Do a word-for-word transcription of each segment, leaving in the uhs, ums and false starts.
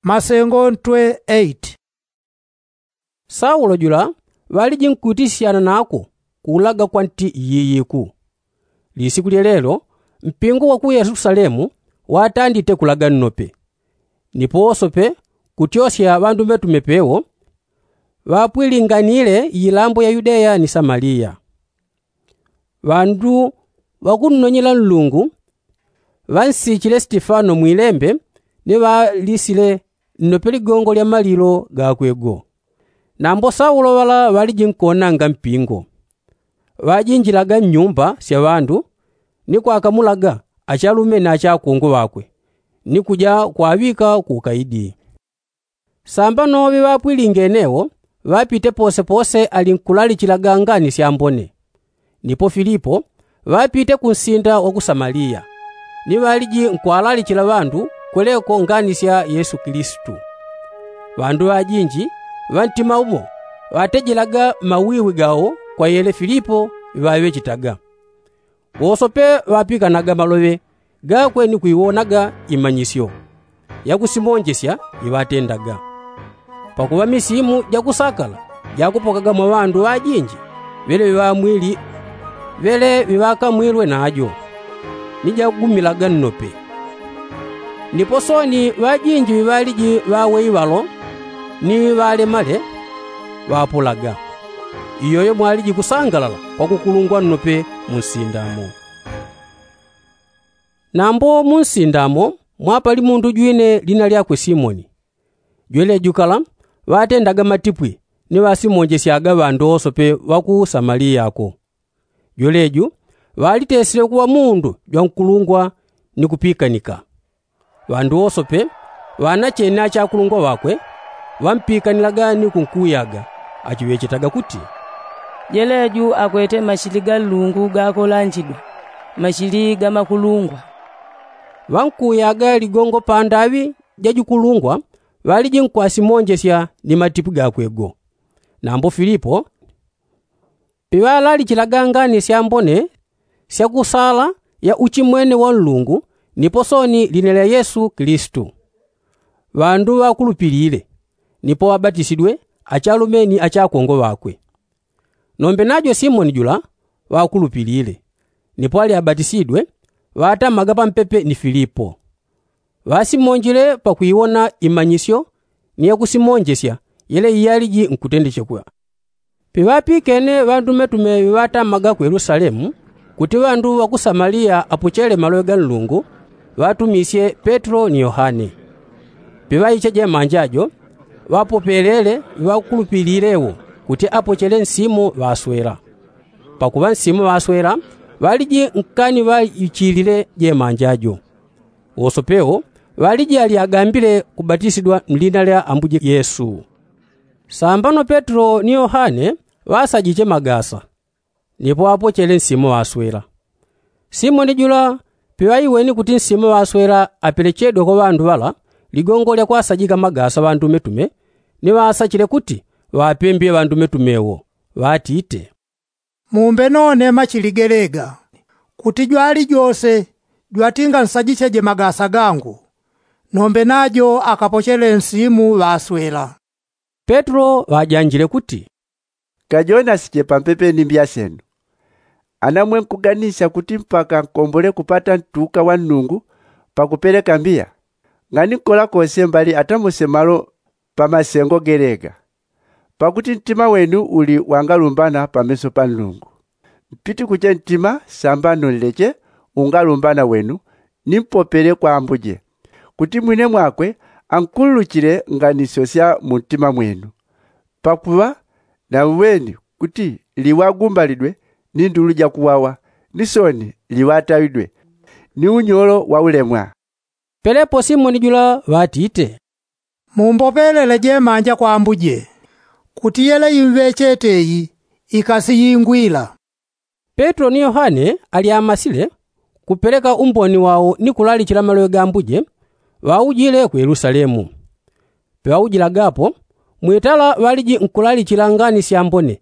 Masengo ntwe eight. Saulo jula ŵaliji nkuitisyana nako kuulaga kwa nti yiyiku. Lisiku lyelelo mpingo wa ku yelusalemu watandite kulaga nnope, nipo wosope kutyosya ŵandumetume pewo ŵapwilinganile iilambo ya yudeya ni samaliya. Ŵandu ŵakunnonyela nlungu ŵansichile sitifano mwilembe ni ŵalisile nnope ligongo lya malilo gakwe go. Nambo saulo ŵala ŵaliji nkonanga mpingo ŵajinjilaga nnyumba sya ŵandu ni kwakamulaga achalume na achakungwe ŵakwe ni kuja kwaŵika ku ukaidi. Sambano ŵiŵapwilingene wo ŵapite posepose ali nkulalichilaga ngani syambone. Nipo filipo ŵapite kunsinda wa ku samaliya ni ŵaliji nkwalalichila ŵandu kweleko ngani sya yesu kilisitu. Ŵandu ŵajinji ŵa ntima umo ŵatejelaga mawiwi gawo kwa yele filipo ŵaŵechetaga. Wosope ŵapikanaga maloŵe gakwe ni kwiwonaga imanyisyo yakusimonjesya iŵatendaga. Pakuŵa misimu jakusakala jakupokaga mwa ŵandu ŵajinji ŵele ŵiŵamwili ŵele ŵiŵakamwilwe najo ni jagumilaga nnope. Nipo sooni ŵajinji ŵiŵaliji ŵaweiŵalo ni ŵalemale ŵapulaga. Iyoyo mwaliji kusangalala kwa kukulungwa nnope mu nsindamo. Nambo mu nsindamo mwapali mundu jwine lina lyakwe simoni. Jweleju kala ŵatendaga matipwi ni ŵasimonjesyaga ŵandu wosope ŵa ku samaliya ko. Jweleju ŵalitesile kuŵa mundu jwankulungwa ni kupikanika. Ŵandu wosope ŵanachene achakulungwa ŵakwe ŵampikanilaga ni kunkuyaga achiŵechetaga kuti, jeleju akwete machili ga nlungu gakolanjidwa, machili ga makulungwa. Ŵankuyaga ligongo pandaŵi ja jukulungwa ŵaliji nkwasimonjesya ni matipwi gakwe go. Nambo filipo piŵalalichilaga ngani syambone sya kusala ya uchimwene wa nlungu nipo sooni lina lya yesu kilisitu. Ŵandu ŵakulupilile nipo ŵabatisidwe achalume ni achakongwe ŵakwe. Nombe najo simoni jula ŵakulupilile nipo ali abatisidwe ŵatamaga pampepe ni filipo. Ŵasimonjile pakwiwona imanyisyo ni yakusimonjesya yele iyaliji nkutendechekwa. Piŵapikene ŵandumetume ŵiŵatamaga ku yelusalemu kuti ŵandu ŵa ku samaliya apochele maloŵe ga nlungu ŵatumisye petelo ni yohane. Piŵaiche jemanja jo ŵapopelele ŵiŵakulupilile wo kuti apochele nsimu ŵaswela. Pakuŵa nsimu ŵaswela ŵaliji nkani ŵaichilile jemanja jo. Wosope wo ŵaliji ali agambile kubatisidwa mlina lya ambuje yesu. Sambano petelo ni yohane ŵasajiche magasa nipo apochele nsimu ŵaswela. Simoni jula piŵaiweni kuti nsimu ŵaswela apelechedwe kwa ŵandu ŵala ligongo lya kwasajika magasa ŵandumetume ni ŵasachile kuti ŵapembye ŵandumetume wo ŵatite, mumbe none machili gelega kuti jwali jose jwatinga nsajicheje magasa gangu nombe najo akapochele nsimu ŵaswela. Petelo ŵajanjile kuti, kajonasiche pampepe ni mbiya syenu. Ana mwe nkuganisya kuti mpaka nkombole kupata ntuuka wa nlungu pakupeleka mbiya? Ngani nkola kose mbali atamuse malo pa masengo gelega. Pakuti ntima wenu uli wangalumbana pameso pa nlungu. Mpitikuche ntima sambano nleche ungalumbana wenu ni mpopele kwa ambuje kuti mwine mwakwe ankululuchile nganisyo sya mu ntima mwenu. Pakuŵa nauweni kuti liŵagumbalidwe ni ndulu ja kuwawa ni sooni liŵatawidwe ni unyolo wa ulemwa. Pelepo simoni jula ŵatite, mumbopelele jemanja kwa ambuje kuti yele imŵechete iyi ikasiyingwila. Petelo ni yohane ali amasile kupeleka umboni wao ni kulalichila maloŵe ga ambuje ŵaujile ku yelusalemu. Piŵaujilagapo mwitala ŵaliji nkulalichila ngani syambone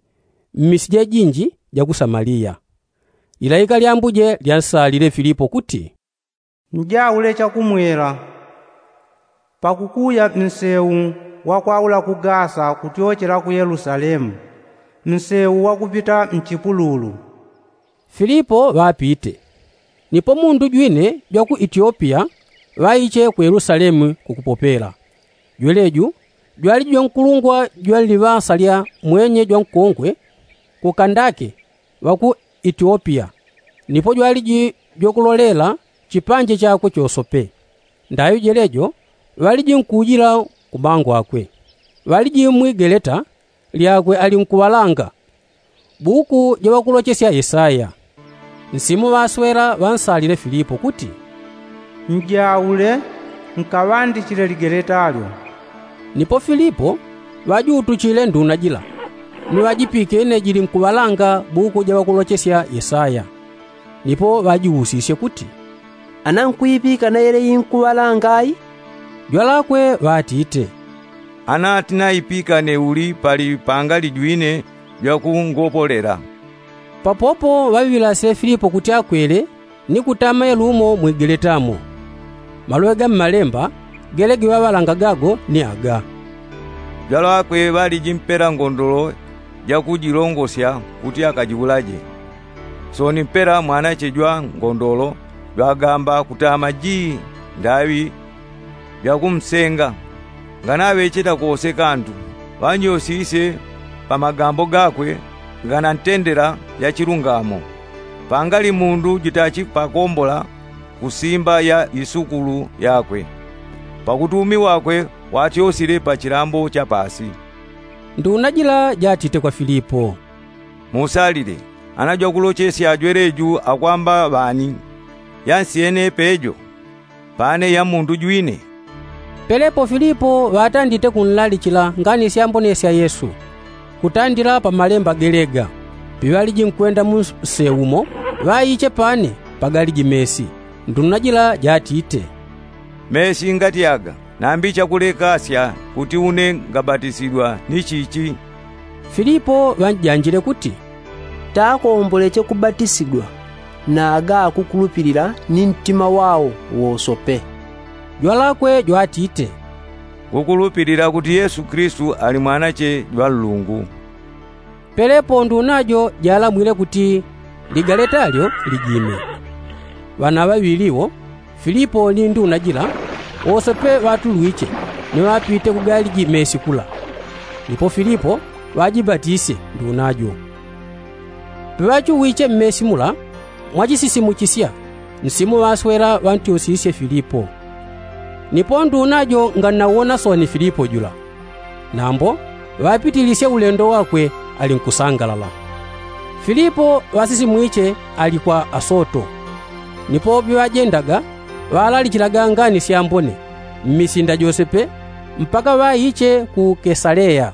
mmisi jejinji ja ku samaliya. Lilaika lya ambuje lyansalile filipo kuti, njaule chakumwela. Pakukuya mseu wakwaula ku gasa kutyochela ku yelusalemu, mseu wakupita mchipululu. Filipo ŵapite. Nipo mundu jwine jwa ku itiopiya ŵaiche ku yelusalemu kukupopela. Jweleju jwaliji jwankulungwa jwa nliŵasa lya mwenye jwankongwe ku kandake ŵa ku itiopiya, nipo jwaliji jwakulolela chipanje chakwe chosope. Ndaŵi jelejo ŵaliji nkujila ku mango akwe. Ŵaliji mwi geleta lyakwe ali nkuŵalanga buku jaŵakulochesya yesaya. Nsimu ŵaswela ŵansalile filipo kuti, njaule nkaŵandichile ligeleta lyo. Nipo filipo ŵajutuchile nduna jila ni ŵajipikene jili nkuŵalanga buku jaŵakulochesya yesaya. Nipo ŵajiusisye kuti, ana nkwipika na yele inkuŵalanga ai? Jwalakwe ŵatite, ana tinaipikane uli pali pangali jwine jwakungopolela. Papopo ŵaŵilasile filipo kuti akwele ni kutama yelumo mwigeleta mo. Maloŵe ga mmalemba gele giŵaŵalanga gago ni aga. Jwalakwe ŵaliji mpela ngondolo jakujilongosya kuti akajiulaje. Sooni mpela mwanache jwa ngondolo jwagamba kutama jii ndaŵi jwakumsenga. Nganaŵecheta kose kandu ŵanyosisye pa magambo gakwe nganantendela ya chilungamo. Pangali mundu jutachipakombola kusimba ya isukulu yakwe pakuti umi wakwe watyosile pa chilambo cha pasi. Nduna jila jatite kwa filipo, musalile ana jwakulochesya jweleju akwamba ŵani? Yansyene pejo pane ya mundu jwine? Pelepo filipo ŵatandite kunlalichila ngani syambone sya yesu kutandila pa malemba gelega. Piŵaliji nkwenda mu nseu mo ŵaiche pane pagaliji mesi. Nduna jila jatite, mesi ngati aga nambi chakulekasya kuti une ngabatisidwa ni chichi? Filipo ŵanjanjile kuti, takomboleche kubatisidwa na aga akukulupilila ni ntima wao wosope. Jwalakwe jwatite, ngukulupilila kuti yesu kristu ali mwanache jwa nlungu. Pelepo nduna jo jalamwile kuti ligaleta lyo lijime. Ŵana ŵaŵili wo, filipo ni nduna jila, wosope ŵatulwiche ni ŵapite kugaliji mesi kula. Nipo filipo ŵajibatisye nduna jo. Piŵachuwiche mmesi mula, mwachisisimuchisya nsimu ŵaswela ŵantyosisye filipo. Nipo nduna jo ngannauwona sooni filipo jula. Nambo ŵapitilisye ulendo wakwe ali nkusangalala. Filipo ŵasisimwiche ali kwa asoto. Nipo piŵajendaga ŵalalichilaga ngani syambone mmisinda jose pe mpaka ŵaiche ku kesaleya.